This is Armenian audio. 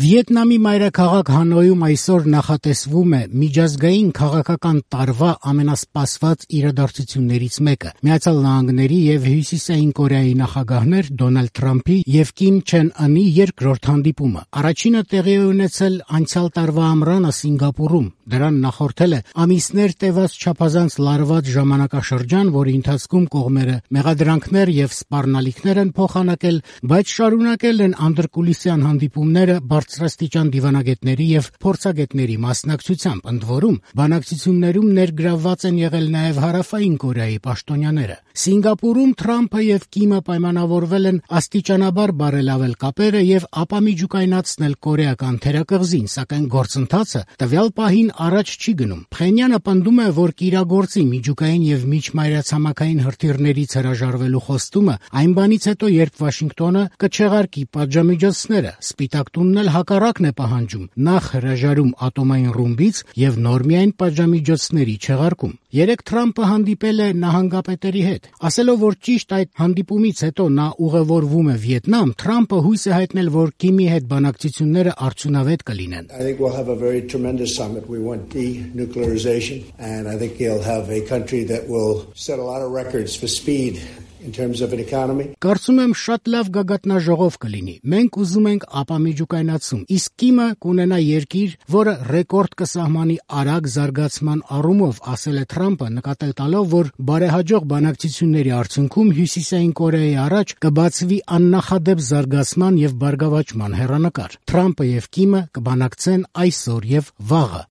Վիետնամի մայրաքաղաք Հանոյում այսօր նախատեսվում է միջազգային քաղաքական տարվա ամենասպասված իրադարձություններից մեկը։ Միացյալ Նահանգների եւ Հյուսիսային Կորեայի նախագահներ Դոնալդ Թրամփի եւ Կիմ Չեն Ընի երկրորդ հանդիպումը։ Առաջինը տեղի է ունեցել անցյալ տարվա ամռանը Սինգապուրում։ Դրան նախորդել է ամիսներ տևած չափազանց լարված ժամանակաշրջան, որի ընթացքում կողմերը մեղադրանքներ եւ սպառնալիքներ են փոխանակել, բայց շարունակել են անդրկուլիսյան հանդիպումները բարձրաստիճան դիվանագետների եւ փորձագետների մասնակցությամբ, ընդ որում բանակցություններում ներգրավված են եղել նաեւ Հարավային Կորեայի պաշտոնյաները։ Սինգապուրում Թրամփը եւ Կիմը պայմանավորվել են աստիճանաբար բարելավել կապերը եւ ապամիջուկայնացնել կորեական թերակղզին, սակայն գործընթացը տվյալ պահին առաջ չի գնում։ Փխենյանը պնդում է, որ կիրագործի միջուկային եւ միջմայրացամաքային հրթիռներից հրաժարվելու խոստումը այն բանից հետո, երբ Վաշինգտոնը կչեղարկի պատժամիջոցները։ Սպիտակ տունն էլ հակառակն է պահանջում՝ նախ հրաժարում ատոմային ռումբից եւ նոր միայն պատժամիջոցների չեղարկում։ Երեկ Թրամփը հանդիպել է նահանգապետերի հետ։ Ասելով, որ ճիշտ այդ հանդիպումից հետո նա ուղևորվում է Վիետնամ, Թրամփը հույս է հայտնել, որ Կիմի հետ բանակցությունները արդյունավետ կլինեն։ I think we'll have a very tremendous summit. We want denuclearization, and I think he'll have a country that will set a lot of records for speed in terms of an economy. Կարծում եմ շատ լավ գագաթնաժողով կլինի։ Մենք ուզում ենք ապամիջուկայնացում, իսկ Կիմը կունենա երկիր, որը ռեկորդ կսահմանի արագ զարգացման առումով, ասել է Թրամփը, նկատել տալով, որ բարեհաջող բանակցությունների արդյունքում Հյուսիսային Կորեայի առաջ կբացվի աննախադեպ զարգացման եւ բարգավաճման հեռանկար։ Թրամփը եւ Կիմը կբանակցեն այսօր եւ վաղը։